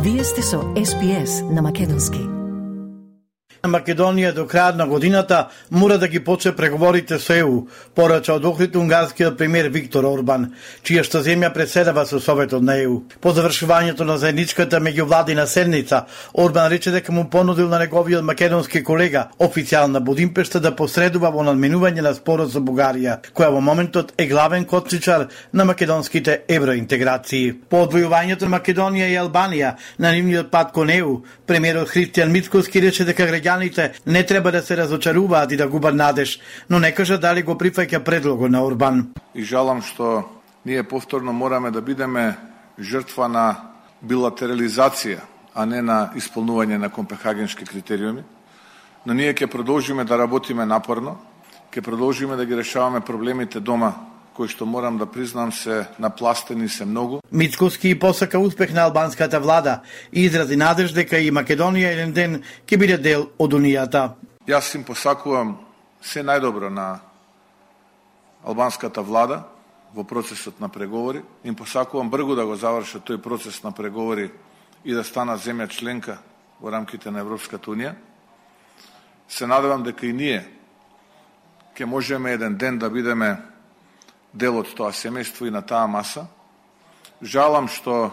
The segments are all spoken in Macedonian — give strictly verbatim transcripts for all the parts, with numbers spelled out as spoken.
Вие сте со Ес Би Ес на македонски. Македонија до крајот на годината мора да ги почне преговорите со Е У, порача од Охрид унгарскиот премиер Виктор Орбан, чија што земја преседава со Советот на Е У. По завршувањето на заедничката меѓувладина седница, Орбан рече дека му понудил на неговиот македонски колега, официјал на Будимпешта, да посредува во надменување на спорот со Бугарија, која во моментот е главен коцничар на македонските евроинтеграции. По одвојувањето на Македонија и Албанија на нивниот пат кон Е У, премиерот Христијан Мицкоски рече дека граѓаните не треба да се разочаруваат и да губат надеж, но не кажа дали го прифаќа предлогот на Орбан. И жалам што ние повторно мораме да бидеме жртва на билатерализација, а не на исполнување на копенхагенски критериуми. Но ние ќе продолжиме да работиме напорно, ќе продолжиме да ги решаваме проблемите дома, кои што морам да признам се напластени се многу. Мицкоски посака успех на албанската влада и изрази надеж дека и Македонија еден ден ќе биде дел од Унијата. Јас им посакувам се најдобро на албанската влада во процесот на преговори. Им посакувам брзо да го завршат тој процес на преговори и да станат земја членка во рамките на Европската Унија. Се надевам дека и ние ќе можеме еден ден да бидеме дел од тоа семејство и на таа маса. Жалам што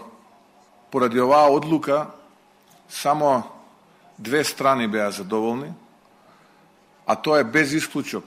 поради оваа одлука само две страни беа задоволни, а тоа е без исклучок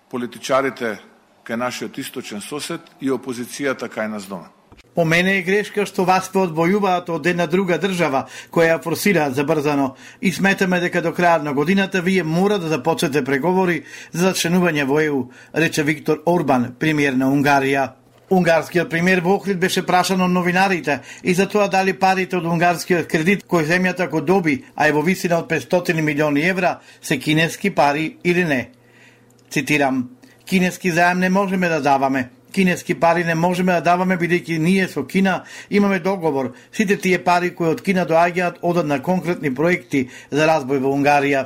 политичарите кај нашиот источен сосед и опозицијата кај нас дома. По мене е грешка што вас се одвојуваат од една друга држава која ја форсираат забрзано и сметаме дека до крајот на годината вие мора да започнете преговори за членување во Е У, рече Виктор Орбан, премиер на Унгарија. Унгарскиот премиер во Охрид беше прашан од новинарите и за тоа дали парите од унгарскиот кредит кој земјата го доби, а е во висина од петстотини милиони евра, се кинески пари или не. Цитирам: "Кинески заем не можеме да даваме. Кинески пари не можеме да даваме бидејќи ние со Кина имаме договор. Сите тие пари кои од Кина доаѓаат одат на конкретни проекти за разбој во Унгарија.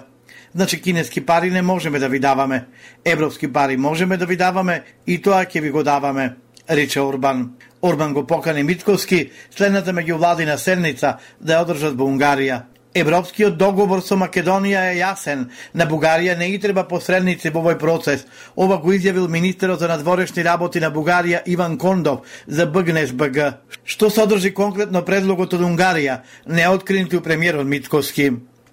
Значи кинески пари не можеме да ви даваме. Европски пари можеме да ви даваме и тоа ќе ви го даваме", рече Орбан. Орбан го покани Мицкоски следната меѓувладина седница да ја одржат во Унгарија. Европскиот договор со Македонија е јасен. На Бугарија не и треба посредници во овој процес. Ова го изјавил министерот за надворешни работи на Бугарија Иван Кондов за Б Г Н С Б Г. Што содржи конкретно предлогот од Унгарија, не е откринати у премиерот Мицкоски.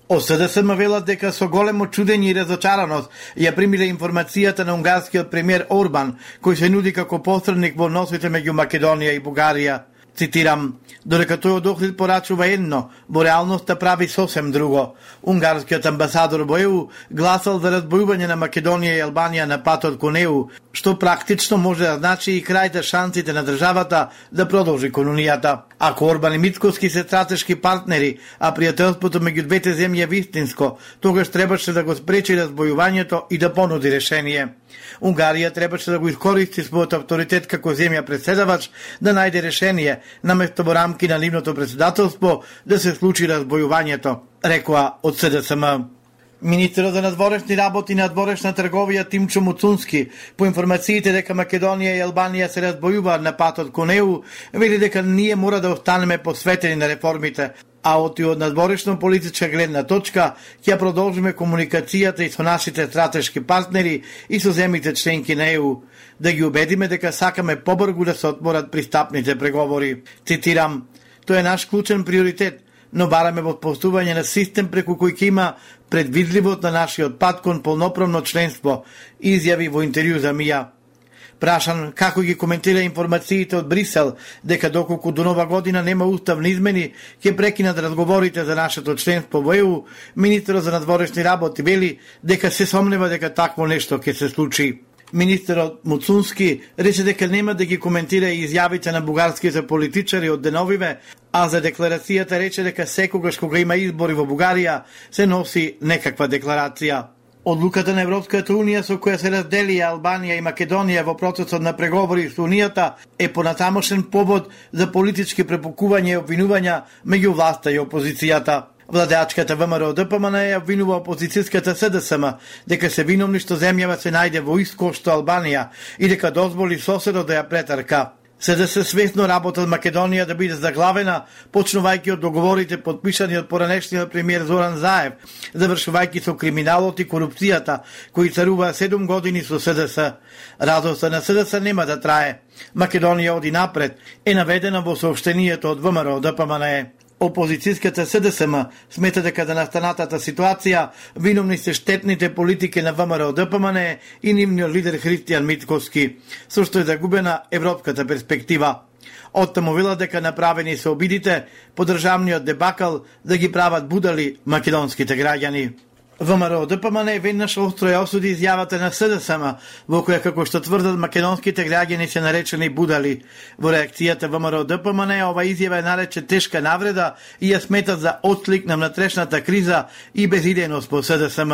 Од С Д С М велат дека со големо чудење и разочараност ја примиле информацијата на унгарскиот премиер Орбан, кој се нуди како посредник во односите меѓу Македонија и Бугарија. Цитирам: "Додека тој од Охрид порачува едно, во реалноста прави сосем друго. Унгарскиот амбасадор во Е У гласал за разбојување на Македонија и Албанија на патот кон Е У, што практично може да значи и крај за шансите на државата да продолжи кон Унијата. Ако Орбан и Мицкоски се стратешки партнери, а пријателството меѓу двете земји е вистинско, тогаш требаше да го спречи разбојувањето и да понуди решение. Унгарија требаше да го искористи својот авторитет како земја преседавач да најде решение, наместо во рамки на нивното председателство да се случи разбојувањето", рекоа од С Д С М. Министерот за надворешни работи и надворешна трговија Тимчо Муцунски, по информациите дека Македонија и Албанија се разбојуваат на патот кон Е У, вели дека ние мора да останеме посветени на реформите, а од и од надворешно политичка гледна точка ќе продолжиме комуникацијата и со нашите стратешки партнери и со земјите членки на Е У, да ги убедиме дека сакаме побрзо да се отворат пристапните преговори. Цитирам: "Тоа е наш клучен приоритет, но бараме во постување на систем преку кој ќе има предвидливост на нашиот пат кон полноправно членство", изјави во интервју за Мија. Прашан како ги коментира информациите од Брисел дека доколку до нова година нема уставни измени, ќе прекинат разговорите за нашето членство во Е У, министерот за надворешни работи вели дека се сомнева дека такво нешто ќе се случи. Министерот Муцунски рече дека нема да ги коментира и изјавите на бугарските политичари од деновиве, а за декларацијата рече дека секогаш кога има избори во Бугарија се носи некаква декларација. Одлуката на Европската Унија со која се раздели Албанија и Македонија во процесот на преговори со Унијата е понатамошен повод за политички препукувања и обвинувања меѓу власта и опозицијата. Владеачката В М Р Д П М Н ја обвинува опозицијската С Д С М дека се виновни што земјава се најде во исто што Албанија и дека дозволи соседот да ја претрка. СДС свесно работат Македонија да биде заглавена, почнувајќи од договорите подпишани од поранешниот премиер Зоран Заев, завршувајќи со криминалот и корупцијата, кои царуваа седум години со СДС. Радоста на СДС нема да трае. Македонија оди напред, е наведена во соопштенијето од ВМРО Д П М Н Е. Опозицијската СДСМ смета дека за настанатата ситуација виновни се штетните политики на ВМРО Д П М Н Е и нивниот лидер Христијан Митковски, со што е загубена европската перспектива. Оттаму велат дека направени се обидите по државниот дебакал да ги прават будали македонските граѓани. ВМРО Д П М Н Е веднаш остро ја осуди изјавата на СДСМ, во која, како што тврдат, македонските граѓани се наречени будали. Во реакцијата ВМРО Д П М Н Е ова изјава е нарече тешка навреда и ја сметат за отслик на внатрешната криза и безидејност по СДСМ.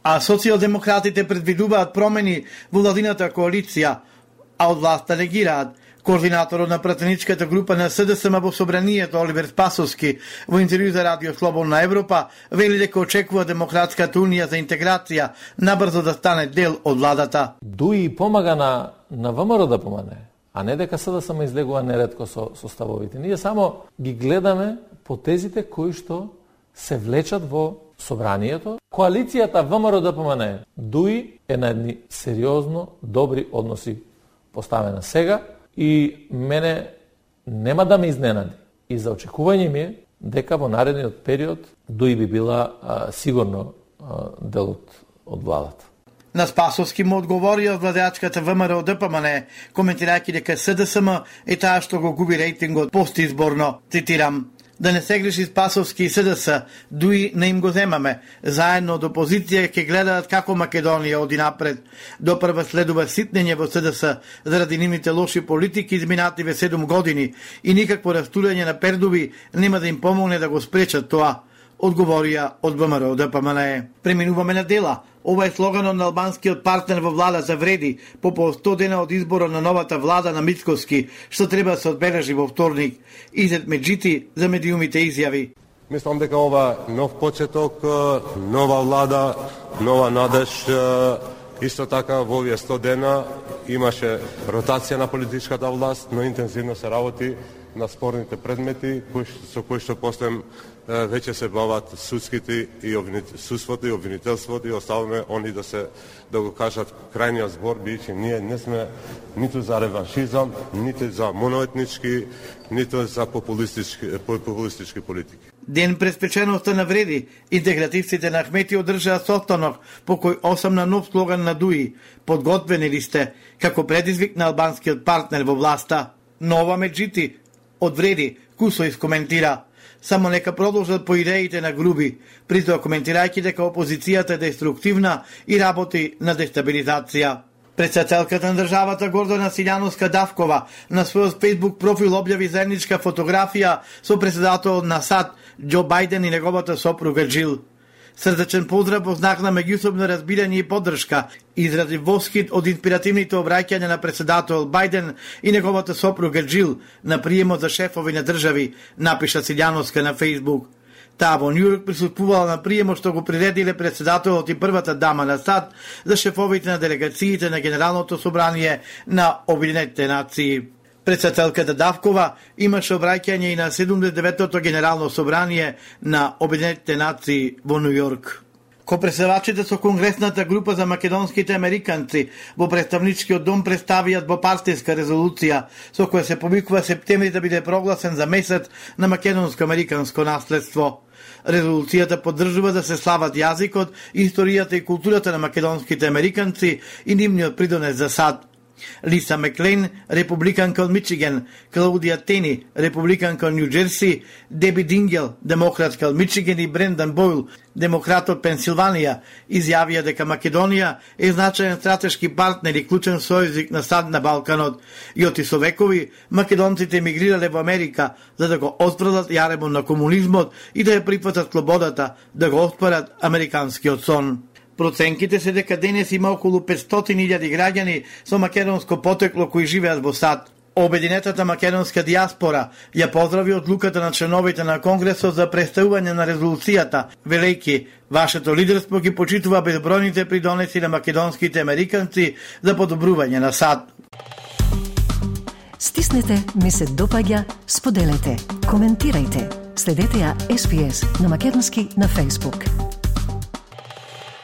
А социјалдемократите предвидуваат промени во владината коалиција, а од власта негираат. Координаторот на пратеничката група на СДСМ во собранието Оливер Спасовски во интервју за Радио Слободна Европа вели дека очекува Демократската унија за интеграција набрзо да стане дел од владата. Дуи помага на, на ВМРО Д П М Н Е, а не дека СДСМ излегува неретко со, со ставовите. Ние само ги гледаме потезите кои што се влечат во собранието. Коалицијата ВМРО Д П М Н Е Дуи е на едни сериозно добри односи поставена сега. И мене нема да ме изненади. И за очекување ми е дека во наредниот период Дуи би била а, сигурно а, дел од, од владата. На Спасовски му одговори од владеачката ВМРО Д П М Н Е, коментирајќи дека СДСМ е таа што го губи рейтингот постизборно. Цитирам: да не се греши Спасовски и СДС, Дуи не им го земаме. Заедно од опозиција ќе гледаат како Македонија оди напред. Допрва следува ситнење во СДС заради нивните лоши политики изминативе седум години и никакво растурање на пердуви нема да им помогне да го спречат тоа, одговорија од ВМРО Д П М Н Е. Преминуваме на дела. Ова е слоганот на албанскиот партнер во влада за вреди по по сто дена од изборот на новата влада на Мицковски, што треба да се одбележи во вторник. Изет Меджити за медиумите изјави: Мислам дека ова нов почеток, нова влада, нова надеж. Исто така во овие сто дена имаше ротација на политичката власт, но интензивно се работи на спорните предмети кои, со кои што после веќе се бават судските и обвинит, судството и обвинителството и оставаме они да се да го кажат крајниот збор, бидејќи ние не сме ниту за реваншизам, ниту за моноетнички, ниту за популистички, популистички политики. Ден пред спеченоста на вреди, интегративците на Ахмети одржаа состанок по кој осам на нов слоган на Дуи: подготвени ли сте, како предизвик на албанскиот партнер во власта. Нова Меджити од вреди кусо искоментира: само нека продолжат по идеите на Груби, притоа коментирајќи дека опозицијата е деструктивна и работи на дестабилизација. Председателката на државата Гордана Силјановска-Давкова на својот Facebook профил објави заедничка фотографија со председателот на САД Џо Бајден и неговата сопруга Џил. Срдечен поздрав во знак на меѓусобно разбирање и поддршка изрази восхит од инспиративните обраќања на председател Бајден и неговата сопруга Џил на приемот за шефови на држави, напиша Силјановска на Facebook. Таа во Њујорк присуствувала на приемот што го приредиле председателот и првата дама на САД за шефовите на делегациите на Генералното собрание на Обединетите нации. Председателката Давкова имаше обраќање и на седумдесет и деветото Генерално собрание на Обединетите нации во Њујорк. Копредседавачите со Конгресната група за македонските американци во представничкиот дом представијат бопартиска резолуција со која се повикува септември да биде прогласен за месец на македонско-американско наследство. Резолуцијата поддржува да се слават јазикот, историјата и културата на македонските американци и нивниот придонес за САД. Лиса Маклейн, републиканка од Мичиген, Клаудија Тени, републиканка од Њу Џерси, Деби Дингел, демократка од Мичиген и Брендан Бойл, демократ од Пенсилванија, изјавија дека Македонија е значаен стратешки партнер и клучен сојузник на САД на Балканот и оти со векови македонците емигрирале во Америка за да го отфрлат јаремот на комунизмот и да ја прифатат слободата, да го оспорат американскиот сон. Проценките се дека денес има околу петстотини илјади граѓани со македонско потекло кои живеат во САД. Обединетата македонска дијаспора ја поздрави одлуката на членовите на Конгресот за представување на резолуцијата, велејќи: вашето лидерство ги почитува безбројните придонеси на македонските американци за подобрување на САД. Стиснете ми се допаѓа, споделете, коментирајте. Следете ја Ес Би Ес на македонски на Facebook.